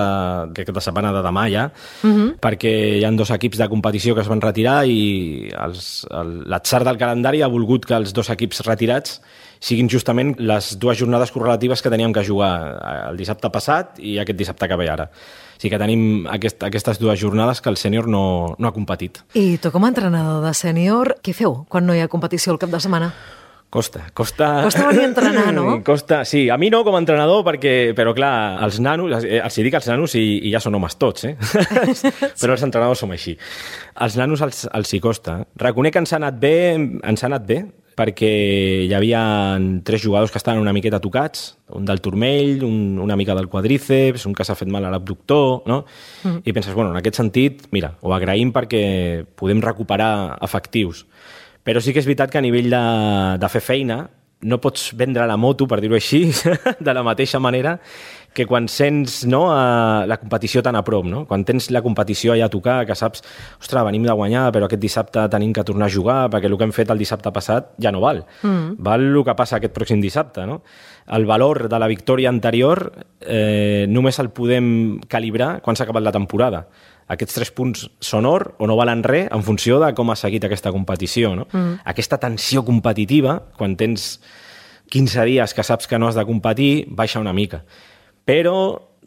aquest cap de setmana de demà ja, uh-huh. perquè hi ha dos equips de competició que es van retirar i els, el, l'atzar del calendari ha volgut que els dos equips retirats siguin justament les dues jornades correlatives que teníem que jugar el dissabte passat i aquest dissabte que ve ara. O sigui que tenim aquest, aquestes dues jornades que el sènior no, no ha competit. I tu com a entrenador de sènior, què feu quan no hi ha competició el cap de setmana? Costa, costa... Costa venir a entrenar, no? Costa, sí, a mi no com a entrenador, perquè, però clar, els nanos, els hi dic als nanos i, i ja són homes tots, eh? Però els entrenadors som així. Els nanos els, els hi costa. Reconec que ens ha anat bé, ens ha anat bé, perquè hi havia tres jugadors que estaven una miqueta tocats, un del turmell, un, una mica del quadríceps, un que s'ha fet mal a l'abductor, no? Mm. I penses, bueno, en aquest sentit, mira, ho agraïm perquè podem recuperar efectius. Però sí que és veritat que a nivell de, de fer feina no pots vendre la moto, per dir-ho així, de la mateixa manera que quan sents no, a la competició tan a prop. No? Quan tens la competició allà a tocar, que saps, ostres, venim de guanyar, però aquest dissabte tenim que tornar a jugar perquè el que hem fet el dissabte passat ja no val. Mm. Val el que passa aquest pròxim dissabte. No? El valor de la victòria anterior eh, només el podem calibrar quan s'ha acabat la temporada. Aquests tres punts són or o no valen res en funció de com ha seguit aquesta competició. No? Mm. Aquesta tensió competitiva, quan tens quinze dies que saps que no has de competir, baixa una mica. Però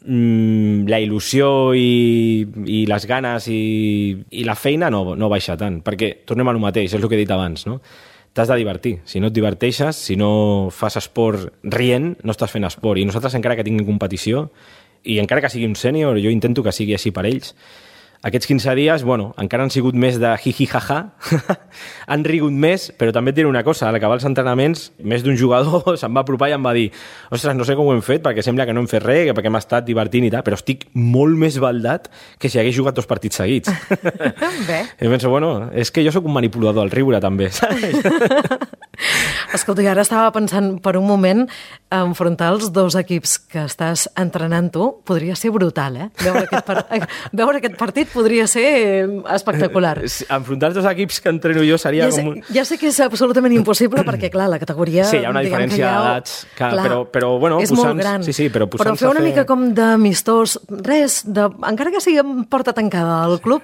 mmm, la il·lusió i, i les ganes i, i la feina no, no baixa tant, perquè tornem a lo mateix, és el que he dit abans, no? T'has de divertir. Si no et diverteixes, si no fas esport rient, no estàs fent esport. I nosaltres, encara que tinguin competició, i encara que sigui un sènior, jo intento que sigui així per ells, Aquests quinze dies, bueno, encara han sigut més de jiji-jaja, han rigut més, però també et diré una cosa, al acabar els entrenaments, més d'un jugador se'm va apropar i em va dir ostres, no sé com ho hem fet, perquè sembla que no hem fet res, perquè hem estat divertint i tal, però estic molt més baldat que si hagués jugat dos partits seguits. Bé. I penso, bueno, és que jo sóc un manipulador al riure, també, saps? Escolta, ara estava pensant per un moment enfrontar els dos equips que estàs entrenant tu, podria ser brutal, eh? Veure aquest, par... Veure aquest partit podria ser espectacular. Enfrontar els dos equips que entreno jo seria ja sé, com un... Ja sé que és absolutament impossible perquè, clar, la categoria... Sí, hi ha una diferència ha... d'edats, però, però, bueno, és posant... molt gran. Sí, sí, però però fer una fer... mica com d'amistós, res, de... encara que sigui en porta tancada al club,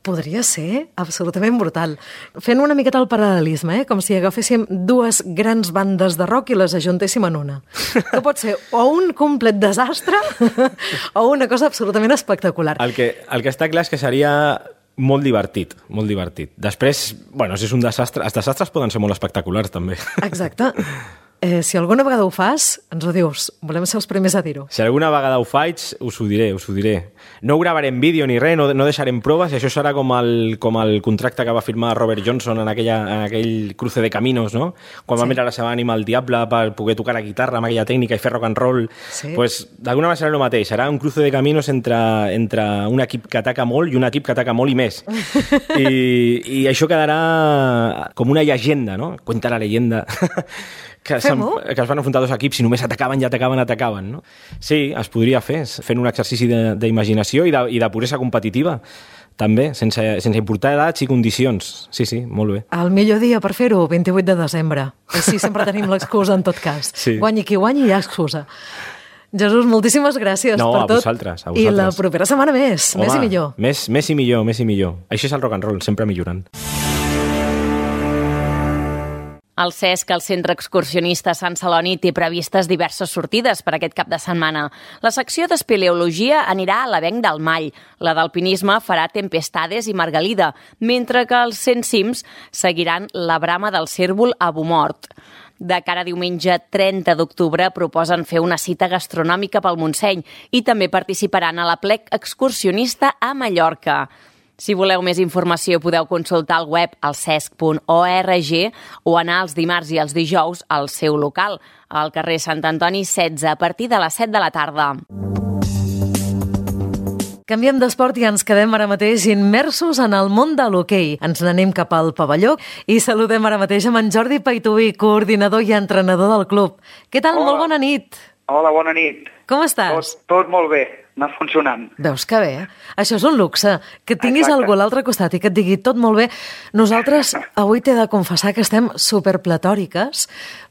podria ser absolutament brutal. Fent una miqueta el paral·lelisme, eh? Com si agaféssim dues grans bandes de rock i les ajuntéssim en una. Que pot ser o un complet desastre o una cosa absolutament espectacular. El que, el que està clar és que seria molt divertit, molt divertit. Després, bueno, si és un desastre... Els desastres poden ser molt espectaculars, també. Exacte. Eh, si alguna vegada ho fas, ens ho dius. Volem ser els primers a dir-ho. Si alguna vegada ho faig, us ho diré, us ho diré. No ho gravarem vídeo ni res, no, no deixarem proves, i això serà com el, com el contracte que va firmar Robert Johnson en, aquella, en aquell cruce de caminos, no? Quan sí. va mirar la seva ànima al diable per poder tocar la guitarra amb aquella tècnica i fer rock and roll. Sí. Pues, d'alguna manera serà el mateix. Serà un cruce de caminos entre, entre un equip que ataca molt i un equip que ataca molt i més. I, i això quedarà com una llegenda, no? Cuenta la leyenda... Que, que es van enfrontar dos equips i només atacaven i atacaven, atacaven, no? Sí, es podria fer, fent un exercici d'imaginació i, de, i de puresa competitiva, també, sense, sense importar edats i condicions. Sí, sí, molt bé. El millor dia per fer-ho, vint-i-vuit de desembre. Així sempre tenim l'excusa en tot cas. Sí. Guanyi qui guanyi, hi ha excusa. Jesús, moltíssimes gràcies no, per tot. No, a vosaltres, a vosaltres. I la propera setmana més, Home, més i millor. Més, més i millor, més i millor. Això és el rock and roll, sempre millorant. El Cesc, el Centre Excursionista Sant Celoni, té previstes diverses sortides per aquest cap de setmana. La secció d'espeleologia anirà a l'Avenc del Mall, la d'alpinisme farà Tempestades i Margalida, mentre que els cent cims seguiran la brama del cérvol a Bomort. De cara a diumenge trenta d'octubre proposen fer una cita gastronòmica pel Montseny i també participaran a l'Aplec Excursionista a Mallorca. Si voleu més informació podeu consultar el web al cesc punt org o anar els dimarts i els dijous al seu local, al carrer Sant Antoni setze, a partir de les set de la tarda. Canviem d'esport i ens quedem ara mateix immersos en el món de l'hoquei. Ens n'anem cap al pavelló i saludem ara mateix amb en Jordi Paituí, coordinador i entrenador del club. Què tal? Hola. Molt bona nit. Hola, bona nit. Com estàs? Tot, tot molt bé, anar funcionant. Veus que bé, eh? Això és un luxe, que tinguis Exacte. Algú a l'altre costat i que et digui tot molt bé. Nosaltres avui t'he de confessar que estem superpletòriques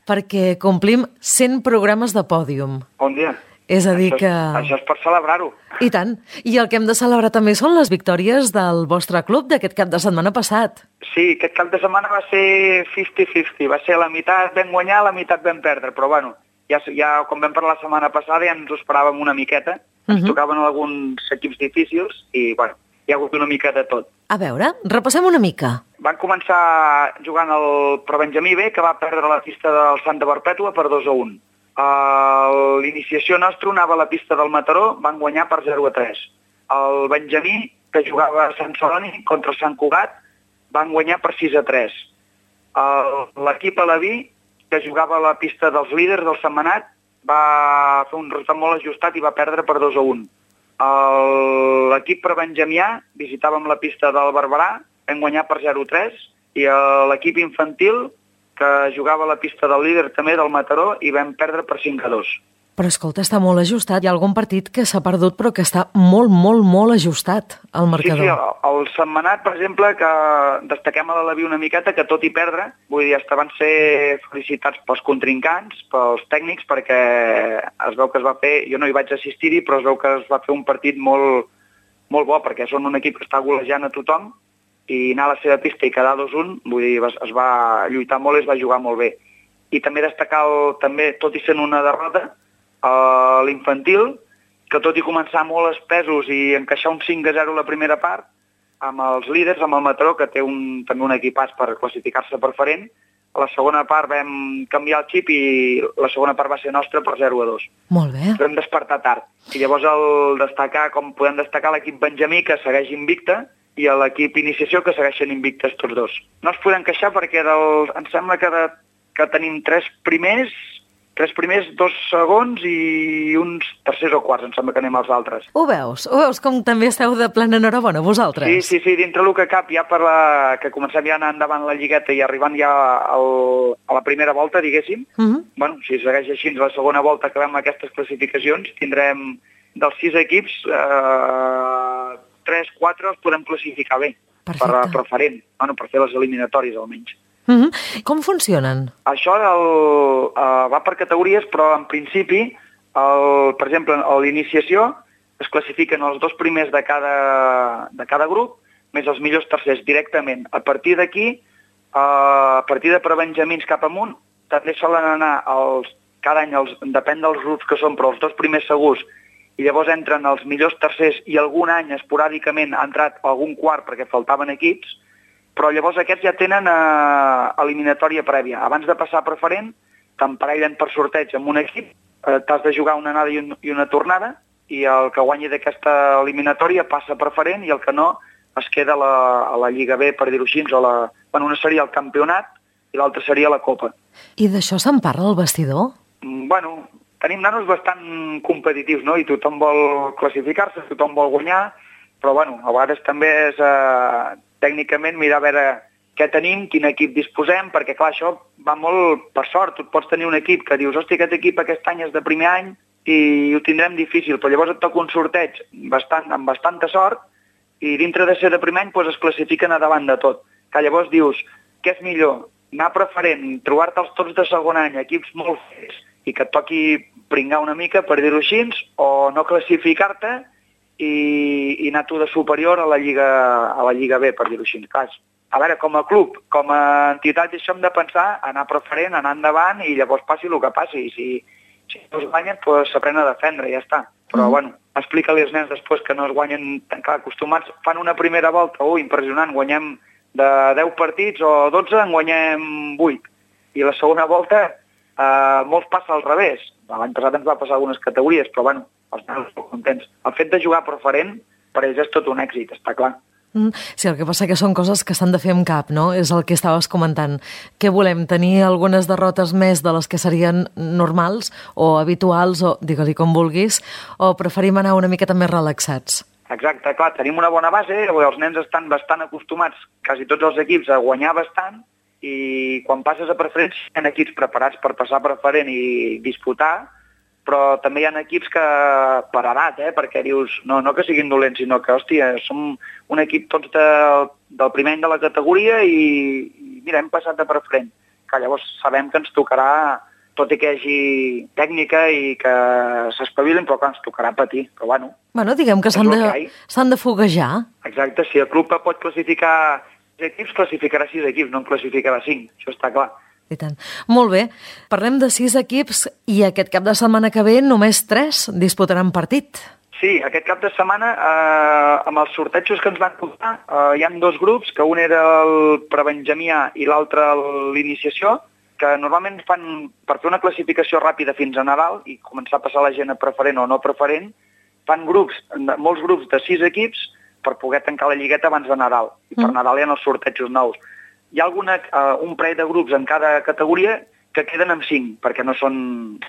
perquè complim cent programes de pòdium. Bon dia. És a dir això és, que... Això és per celebrar-ho. I tant. I el que hem de celebrar també són les victòries del vostre club d'aquest cap de setmana passat. Sí, aquest cap de setmana va ser cinquanta cinquanta. Va ser la meitat vam guanyar, la meitat vam perdre, però bueno... Ja, ja, com vam parlar la setmana passada, ja ens ho esperàvem una miqueta. Ens uh -huh. tocaven alguns equips difícils i, bueno, hi ha hagut una mica de tot. A veure, repassem una mica. Van començar jugant el Probenjamí B, que va perdre la pista del Santa Perpètua per dos a un. Uh, L'iniciació nostra anava a la pista del Mataró, van guanyar per zero a tres. El Benjamí, que jugava a Sant Celoni contra el Sant Cugat, van guanyar per sis a tres. Uh, L'equip Alaví, que jugava a la pista dels líders del Sentmenat, va fer un resultat molt ajustat i va perdre per dos a un. L'equip prebenjamià visitàvem la pista del Barberà, vam guanyar per zero a tres, i l'equip infantil, que jugava a la pista del líder també del Mataró, i vam perdre per cinc a dos. Però escolta, està molt ajustat. Hi ha algun partit que s'ha perdut però que està molt, molt, molt ajustat al marcador. Sí, sí, el, el Sentmenat, per exemple, que destaquem a l'Alaví una miqueta, que tot i perdre, vull dir, hasta van ser felicitats pels contrincants, pels tècnics, perquè es veu que es va fer, jo no hi vaig assistir-hi, però es veu que es va fer un partit molt, molt bo, perquè són un equip que està golejant a tothom, i anar a la seva pista i quedar dos a un, vull dir, es va lluitar molt i es va jugar molt bé. I també destacar, el, també, tot i sent una derrota, a l'infantil, que tot i començar molt espesos i encaixar un cinc a zero la primera part, amb els líders, amb el Mataró, que té un, també un equipàs per classificar-se preferent, a la segona part vam canviar el xip i la segona part va ser nostra per zero a dos. Molt bé. Vam despertar tard. I llavors el destacar, com podem destacar l'equip Benjamí, que segueix invicte, i l'equip Iniciació, que segueixen invictes tots dos. No es podem queixar perquè del, em sembla que, de, que tenim tres primers, tres primers, dos segons i uns tercers o quarts, em sembla que anem als altres. Ho veus? Ho veus com també esteu de plena enhorabona, vosaltres? Sí, sí, sí, dintre el que cap, ja per la, que comencem ja a anar endavant la lligueta i arribant ja al, a la primera volta, diguéssim, uh -huh. bueno, si segueix així la segona volta que acabem aquestes classificacions, tindrem dels sis equips, eh, tres, quatre els podem classificar bé. Perfecte. Per preferent, bueno, per fer les eliminatòries almenys. Uh -huh. Com funcionen? Això el, uh, va per categories, però en principi, el, per exemple, a l'iniciació es classifiquen els dos primers de cada, de cada grup, més els millors tercers directament. A partir d'aquí, uh, a partir de prebenjamins cap amunt, també solen anar els, cada any, els, depèn dels grups que són, però els dos primers segurs, i llavors entren els millors tercers i algun any esporàdicament ha entrat algun quart perquè faltaven equips, però llavors aquests ja tenen eh, eliminatòria prèvia. Abans de passar a preferent, t'emparellen per sorteig amb un equip, eh, t'has de jugar una anada i, un, i una tornada, i el que guanyi d'aquesta eliminatòria passa a preferent i el que no es queda a la, a la Lliga B, per dir-ho així, o la, bueno, una seria el campionat i l'altra seria la Copa. I d'això se'n parla al vestidor? Mm, bueno, tenim nanos bastant competitius, no? I tothom vol classificar-se, tothom vol guanyar, però bueno, a vegades també és eh, tècnicament mirar a veure què tenim, quin equip disposem, perquè clar, això va molt per sort. Tu pots tenir un equip que dius, hosti, aquest equip aquest any és de primer any i ho tindrem difícil, però llavors et toca un sorteig bastant, amb bastanta sort i dintre de ser de primer any doncs es classifiquen a davant de tot. Que llavors dius, què és millor? Anar preferent, trobar-te'ls tots de segon any, equips molt fets, i que et toqui pringar una mica, per dir-ho així, o no classificar-te i, i anar tu de superior a la Lliga, a la Lliga B, per dir-ho així. Clar, a veure, com a club, com a entitat, això hem de pensar, anar preferent, anar endavant i llavors passi el que passi. I si, si no es guanyen, doncs s'aprèn a defendre, ja està. Però, mm. bueno, explica-li als nens després que no es guanyen tan clar acostumats. Fan una primera volta, oh, impressionant, guanyem de deu partits o dotze, en guanyem vuit. I la segona volta, eh, molts passa al revés. L'any passat ens va passar algunes categories, però, bueno, els nens estan contents. El fet de jugar preferent, per ells és tot un èxit, està clar. Mm, sí, el que passa que són coses que s'han de fer amb cap, no? És el que estaves comentant. Què volem? Tenir algunes derrotes més de les que serien normals o habituals, o digue-li com vulguis, o preferim anar una miqueta més relaxats? Exacte, clar, tenim una bona base, els nens estan bastant acostumats, quasi tots els equips, a guanyar bastant, i quan passes a preferent hi ha equips preparats per passar a preferent i disputar, però també hi ha equips que, per edat, eh, perquè dius, no, no que siguin dolents, sinó que, hòstia, som un equip tots de, del primer any de la categoria i, i mira, hem passat a preferent, que llavors sabem que ens tocarà, tot i que hi hagi tècnica i que s'espavilin, però que ens tocarà patir, però bueno. Bueno, diguem que s'han de, s'han de foguejar. Exacte, si el club pot classificar sis equips, classificarà sis equips, no en classificarà cinc, això està clar. I tant. Molt bé, parlem de sis equips i aquest cap de setmana que ve només tres disputaran partit. Sí, aquest cap de setmana, eh, amb els sortejos que ens van tocar, eh, hi ha dos grups, que un era el prebenjamià i l'altre l'iniciació, que normalment fan, per fer una classificació ràpida fins a Nadal i començar a passar la gent a preferent o no preferent, fan grups, molts grups de sis equips per poder tancar la lligueta abans de Nadal. I per mm. Nadal hi ha els sortejos nous. Hi ha alguna, uh, un parell de grups en cada categoria que queden en cinc, perquè no són,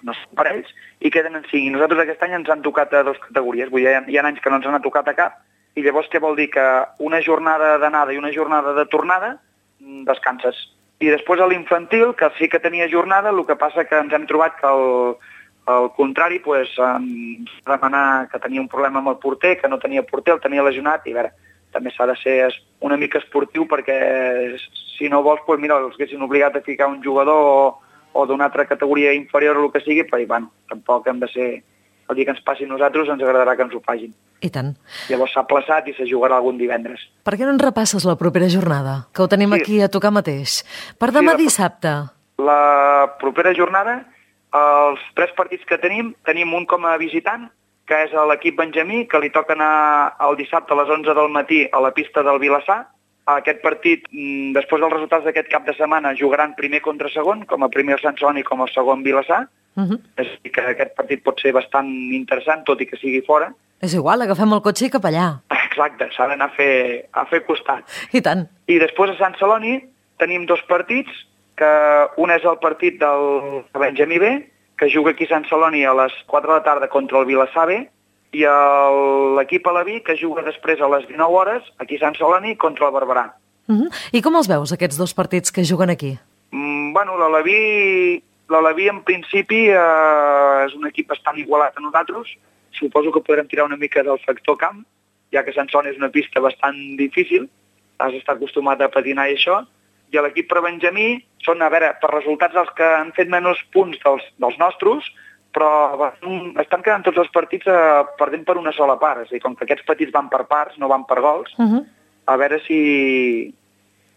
no són parells, i queden en cinc. I nosaltres aquest any ens han tocat a dues categories. Vull dir, hi ha, hi ha anys que no ens han tocat a cap, i llavors què vol dir? Que una jornada d'anada i una jornada de tornada descanses. I després a l'infantil, que sí que tenia jornada, el que passa que ens hem trobat que el, el contrari, pues, ens va demanar que tenia un problema amb el porter, que no tenia porter, el tenia lesionat, i a veure, també s'ha de ser una mica esportiu perquè si no vols, pues, mira, els haguessin obligat a ficar un jugador o, o d'una altra categoria inferior o el que sigui, però bueno, tampoc hem de ser... El dia que ens passi a nosaltres ens agradarà que ens ho facin. I tant. Llavors s'ha plaçat i se jugarà algun divendres. Per què no ens repasses la propera jornada? Que ho tenim sí. aquí a tocar mateix. Per demà sí, la, dissabte. La propera jornada, els tres partits que tenim, tenim un com a visitant, que és l'equip Benjamí, que li toca anar el dissabte a les onze del matí a la pista del Vilassar. Aquest partit, després dels resultats d'aquest cap de setmana, jugaran primer contra segon, com a primer el Sant Celoni com a segon Vilassar. Uh-huh. És a dir, que aquest partit pot ser bastant interessant, tot i que sigui fora. És igual, agafem el cotxe i cap allà. Exacte, s'ha d'anar a fer, a fer costat. I tant. I després a Sant Celoni tenim dos partits, que un és el partit del Benjamí B, que juga aquí a Sant Celoni a les quatre de la tarda contra el Vilassar B, i l'equip Aleví, que juga després a les dinou hores, aquí a Sant Celoni, contra el Barberà. Uh-huh. I com els veus, aquests dos partits que juguen aquí? Mm, bueno, l'Aleví, l'Aleví en principi eh, és un equip bastant igualat a nosaltres. Suposo que podrem tirar una mica del factor camp, ja que Sant Celoni és una pista bastant difícil, has d'estar acostumat a patinar i això. I l'equip per Benjamí són, a veure, per resultats els que han fet menys punts dels, dels nostres, però estan quedant tots els partits eh, perdent per una sola part. És a dir, com que aquests petits van per parts, no van per gols, uh-huh. a veure si,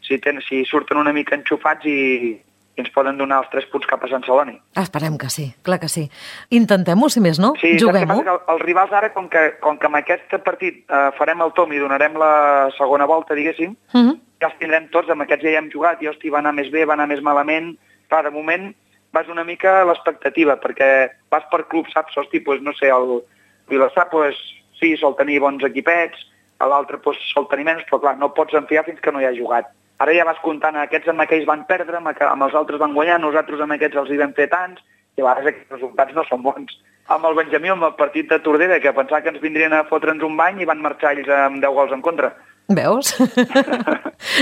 si, ten, si surten una mica enxufats i, i ens poden donar els tres punts cap a Sant Celoni. Esperem que sí, clar que sí. Intentem-ho, si més no, sí, juguem-ho. Sí, el, els rivals ara, com que, com que amb aquest partit eh, farem el tom i donarem la segona volta, diguéssim, uh-huh. ja els tindrem tots, amb aquests ja hi hem jugat, i hosti, va anar més bé, va anar més malament. Clar, de moment vas una mica a l'expectativa, perquè vas per club, saps? Hosti, doncs, no sé, el Vilassar, doncs, sí, sol tenir bons equipets, l'altre doncs, sol tenir menys, però clar, no pots enfiar fins que no hi ha jugat. Ara ja vas comptant, aquests amb aquells van perdre, amb els altres van guanyar, nosaltres amb aquests els hi vam fer tants, i a vegades aquests resultats no són bons. Amb el Benjamí, amb el partit de Tordera, que pensava que ens vindrien a fotre'ns un bany i van marxar ells amb deu gols en contra. Veus?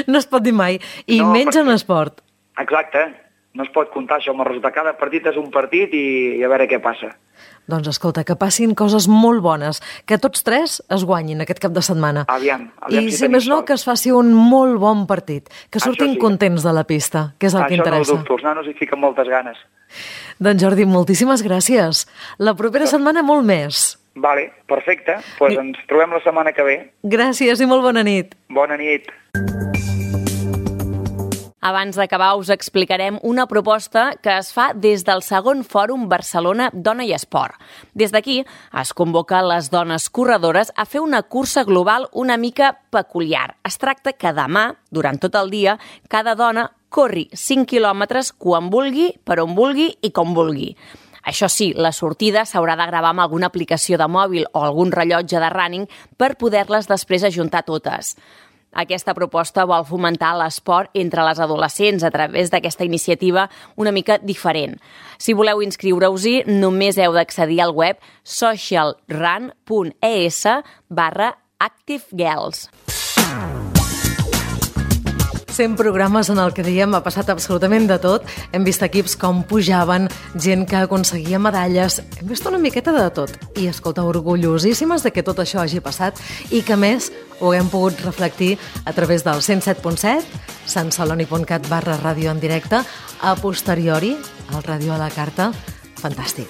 No es pot dir mai. I no, menys perquè... en esport. Exacte. No es pot comptar això amb el resultat. Cada partit és un partit i, i a veure què passa. Doncs escolta, que passin coses molt bones, que tots tres es guanyin aquest cap de setmana. Aviam, aviam I si, si més no, que es faci un molt bon partit, que surtin sí. contents de la pista, que és el això que interessa. Això no ho dubto, els nanos hi fiquen moltes ganes. Doncs Jordi, moltíssimes gràcies. La propera no. setmana molt més. Vale, perfecte. Doncs pues ens trobem la setmana que ve. Gràcies i molt bona nit. Bona nit. Abans d'acabar us explicarem una proposta que es fa des del segon Fòrum Barcelona Dona i Esport. Des d'aquí es convoca les dones corredores a fer una cursa global una mica peculiar. Es tracta que demà, durant tot el dia, cada dona corri cinc quilòmetres quan vulgui, per on vulgui i com vulgui. Això sí, la sortida s'haurà de gravar amb alguna aplicació de mòbil o algun rellotge de running per poder-les després ajuntar totes. Aquesta proposta vol fomentar l'esport entre les adolescents a través d'aquesta iniciativa una mica diferent. Si voleu inscriure-us-hi, només heu d'accedir al web socialrun.es barra activegirls. cent programes en el que diem ha passat absolutament de tot. Hem vist equips com pujaven, gent que aconseguia medalles, hem vist una miqueta de tot. I, escolta, orgullosíssimes de que tot això hagi passat i que, més, ho hem pogut reflectir a través del cent set punt set, santceloni.cat barra ràdio en directe, a posteriori, al Ràdio a la Carta. Fantàstic.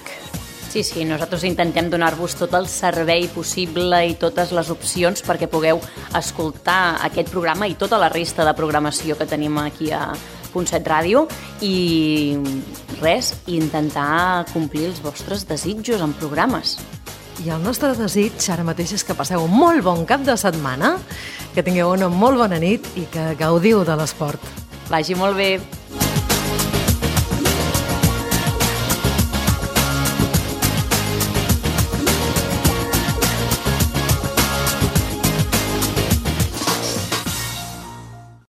Sí, sí, nosaltres intentem donar-vos tot el servei possible i totes les opcions perquè pugueu escoltar aquest programa i tota la resta de programació que tenim aquí a Punt set Ràdio i res, intentar complir els vostres desitjos en programes. I el nostre desig ara mateix és que passeu un molt bon cap de setmana, que tingueu una molt bona nit i que gaudiu de l'esport. Vagi molt bé.